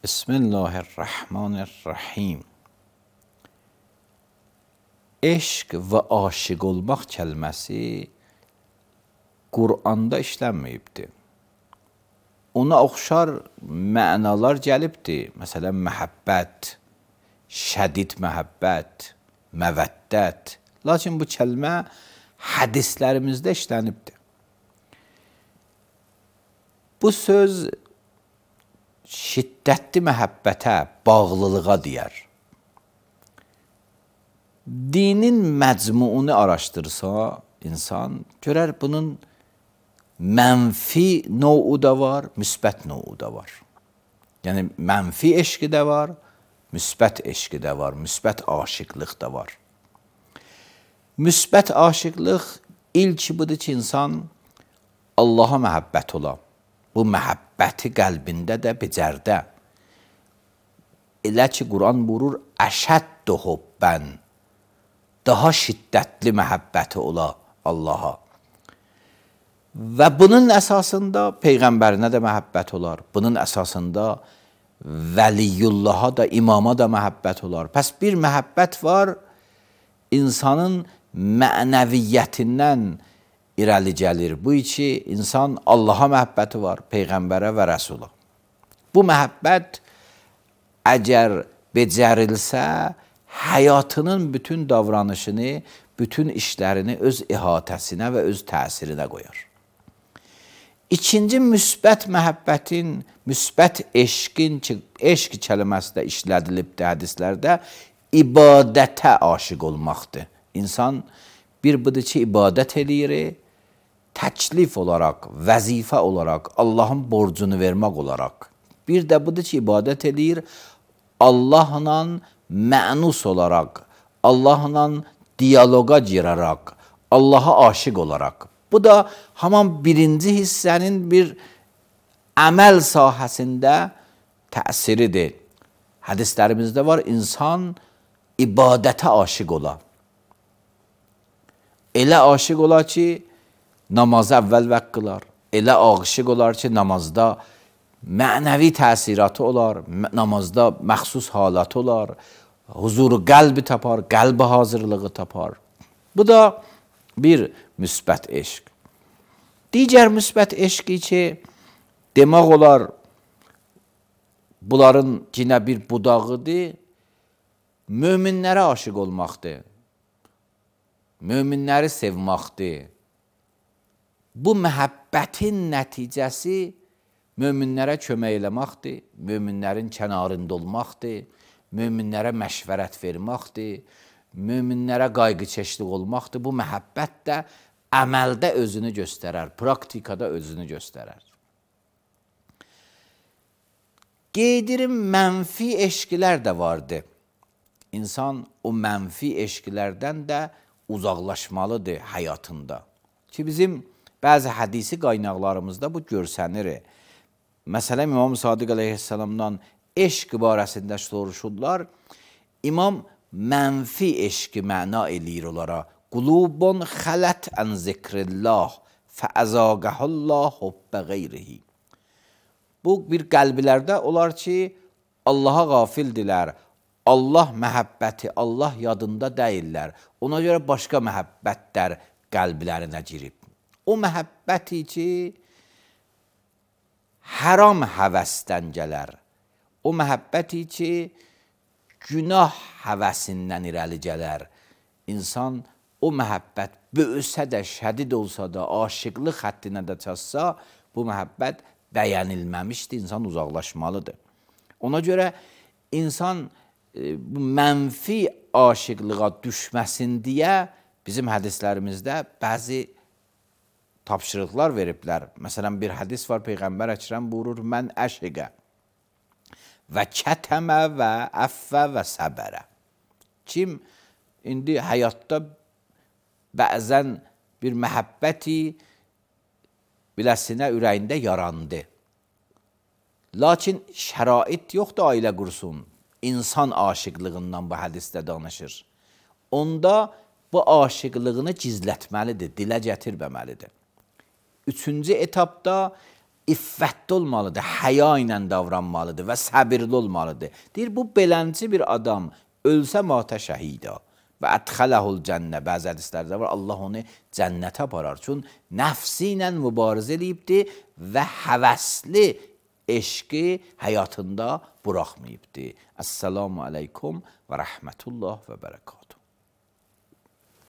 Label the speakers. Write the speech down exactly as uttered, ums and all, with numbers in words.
Speaker 1: Bismillahirrahmanirrahim. Eşq və aşiq olmaq kəlməsi Quranda işlənməyibdir. Ona oxşar mənalar gəlibdir. Məsələn, məhəbbət, şədid məhəbbət, məvəddət. Lakin bu kəlmə hədislərimizdə işlənibdir. Bu söz şiddətli məhəbbətə, bağlılığa deyər. Dinin məcmuunu araşdırsa insan, görər bunun mənfi novu da var, müsbət novu da var. Yəni, mənfi eşqi də var, müsbət eşqi də var, müsbət aşiqlıq da var. Müsbət aşiqlıq ilk budur ki, insan Allaha məhəbbət ola. Bu məhəbbəti qəlbində də becərdə. Elə ki, Quran buyurur, əşəddu hubbən, daha şiddətli məhəbbəti ola Allaha. Və bunun əsasında Peyğəmbərinə də məhəbbət olar. Bunun əsasında vəliyullaha da, imama da məhəbbət olar. Pəs bir məhəbbət var, insanın mənəviyyətindən irəli gəlir. Bu iki insan Allaha məhəbbəti var, Peyğəmbərə və Rəsula. Bu məhəbbət əgər becərilsə, həyatının bütün davranışını, bütün işlərini öz ihatəsinə və öz təsirinə qoyar. İkinci müsbət məhəbbətin, müsbət eşqin ki, eşq kəlməsi də işlədilibdir hədislərdə, ibadətə aşiq olmaqdır. İnsan bir budur ki, ibadət eləyir, təklif olaraq, vəzifə olaraq, Allahın borcunu vermək olaraq. Bir də budur ki, ibadət eləyir, Allahla mənus olaraq, Allahla diyaloqa girərək, Allaha aşiq olaraq. Bu da haman birinci hissənin bir əməl sahəsində təsiridir. Hədislərimizdə var, insan ibadətə aşiq ola. Elə aşiq ola ki, namazı əvvəl vəq qılar. Elə aşiq olar ki, namazda mənəvi təsiratı olar, namazda məxsus halatı olar, huzuru qəlbi tapar, qəlbi hazırlığı tapar. Bu da bir müsbət eşq. Digər müsbət eşqi ki, demək olar, bunların yine bir budağıdır, möminlərə aşiq olmaqdır, möminləri sevmaqdır. Bu məhəbbətin nəticəsi möminlərə kömək eləməkdir, möminlərin kənarında olmaqdır, möminlərə məşvərət verməkdir, möminlərə qayğıkeşlik olmaqdır. Bu məhəbbət də əməldə özünü göstərər, praktikada özünü göstərər. Qeydirim, mənfi eşqilər də vardır. İnsan o mənfi eşqlərdən də uzaqlaşmalıdır həyatında. Ki, bizim bəzi hədisi qaynaqlarımızda bu görsənir. Məsələn, İmam Sadiq əleyhissalamdan eşq barəsində soruşurlar. İmam mənfi eşqi məna eləyir onlara. Qulubun xələt ən zikrillah fəəzaqəhullah hubbə qeyrihi. Bu, bir qəlbilərdə olar ki, Allaha qafildilər, Allah məhəbbəti, Allah yadında deyirlər. Ona görə başqa məhəbbətlər qəlblərinə girib. O məhəbbəti ki, haram həvəsdən gələr. O məhəbbəti ki, günah həvəsindən irəli gələr. İnsan o məhəbbət böyüsə də, şədid olsa da, aşiqlıq xəttinə də çatsa, bu məhəbbət bəyənilməmişdir, insan uzaqlaşmalıdır. Ona görə insan e, bu mənfi aşiqlığa düşməsin deyə bizim hədislərimizdə bəzi tapşırıqlar veriblər. Məsələn, bir hədis var, Peyğəmbər Əkrəm buyurur, mən əşiqə və kətəmə və əffə və səbərə. Kim indi həyatda bəzən bir məhəbbəti biləsinə ürəyində yarandı. Lakin şərait yoxdur ailə qursun. İnsan aşiqlığından bu hədisdə danışır. Onda bu aşiqlığını gizlətməlidir, dilə gətirməməlidir. Üçüncü etapda iffətli olmalıdır, həya ilə davranmalıdır və səbirli olmalıdır. Deyir, bu belənci bir adam ölsə matə şəhida və ədxələhul cənnə, bəzi hədislərdə var, Allah onu cənnətə aparar. Çün nəfsi ilə mübarizə eləyibdir və həvəsli eşqi həyatında buraxmayıbdır. Əssalamu aleykum və rəhmətullah və bərəkatuhu.